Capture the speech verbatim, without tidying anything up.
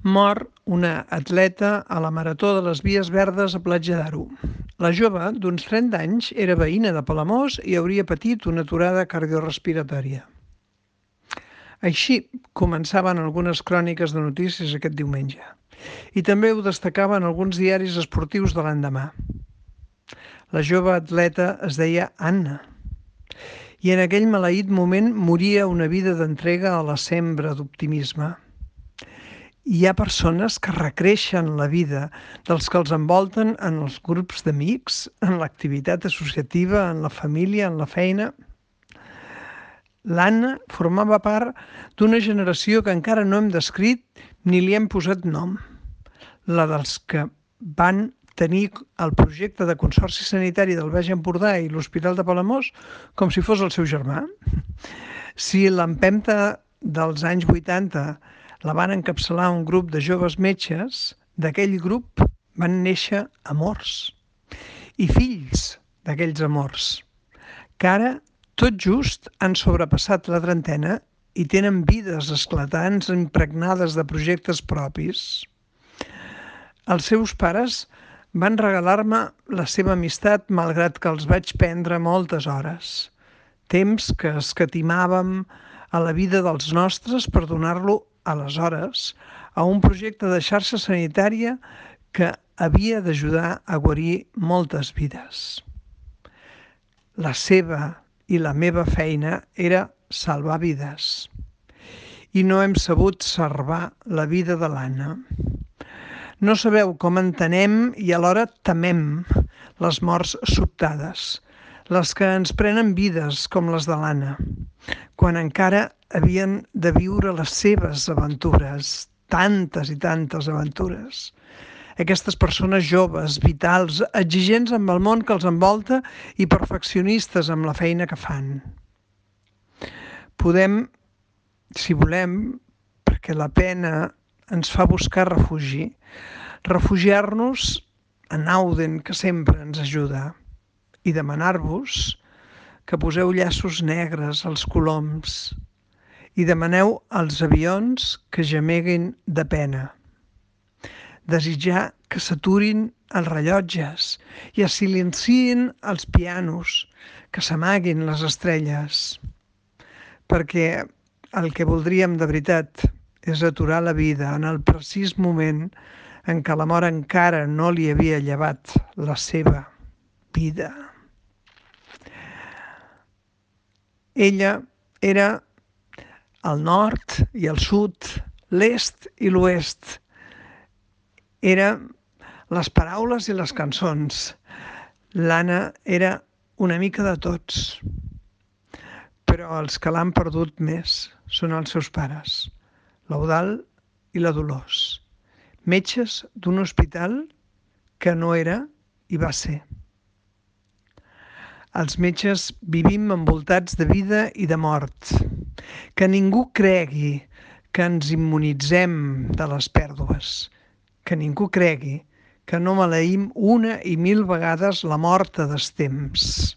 Mor una atleta a la Marató de les Vies Verdes a Platja d'Aro. La jove, d'uns trenta anys, era veïna de Palamós i hauria patit una aturada cardiorespiratòria. Així començaven algunes cròniques de notícies aquest diumenge. I també ho destacaven alguns diaris esportius de l'endemà. La jove atleta es deia Anna. I en aquell maleït moment moria una vida d'entrega a la sembra d'optimisme. Hi ha persones que recreixen la vida dels que els envolten en els grups d'amics, en l'activitat associativa, en la família, en la feina. L'Anna formava part d'una generació que encara no hem descrit ni li hem posat nom. La dels que van tenir el projecte de Consorci Sanitari del Baix Empordà i l'Hospital de Palamós com si fos el seu germà. Si l'empenta dels anys vuitanta la van encapçalar un grup de joves metges, d'aquell grup van néixer amors i fills d'aquells amors, que ara tot just han sobrepassat la trentena i tenen vides esclatants impregnades de projectes propis. Els seus pares van regalar-me la seva amistat malgrat que els vaig prendre moltes hores, temps que escatimàvem a la vida dels nostres per donar-lo aleshores a un projecte de xarxa sanitària que havia d'ajudar a guarir moltes vides. La seva i la meva feina era salvar vides. I no hem sabut salvar la vida de l'Anna. No sabeu com entenem i alhora temem les morts sobtades, les que ens prenen vides com les de l'Anna, quan encara havien de viure les seves aventures, tantes i tantes aventures. Aquestes persones joves, vitals, exigents amb el món que els envolta i perfeccionistes amb la feina que fan. Podem, si volem, perquè la pena ens fa buscar refugi, refugiar-nos en Auden, que sempre ens ajuda, i demanar-vos que poseu llaços negres als coloms i demaneu als avions que gemeguin de pena. Desitjar que s'aturin els rellotges i es silenciïn els pianos, que s'amaguin les estrelles. Perquè el que voldríem de veritat és aturar la vida en el precís moment en què la mort encara no li havia llevat la seva vida. Ella era el nord i el sud, l'est i l'oest. Era les paraules i les cançons. L'Anna era una mica de tots. Però els que l'han perdut més són els seus pares, l'Eudald i la Dolors, metges d'un hospital que no era i va ser. Els metges vivim envoltats de vida i de mort. Que ningú cregui que ens immunitzem de les pèrdues. Que ningú cregui que no maleïm una i mil vegades la mort a destemps.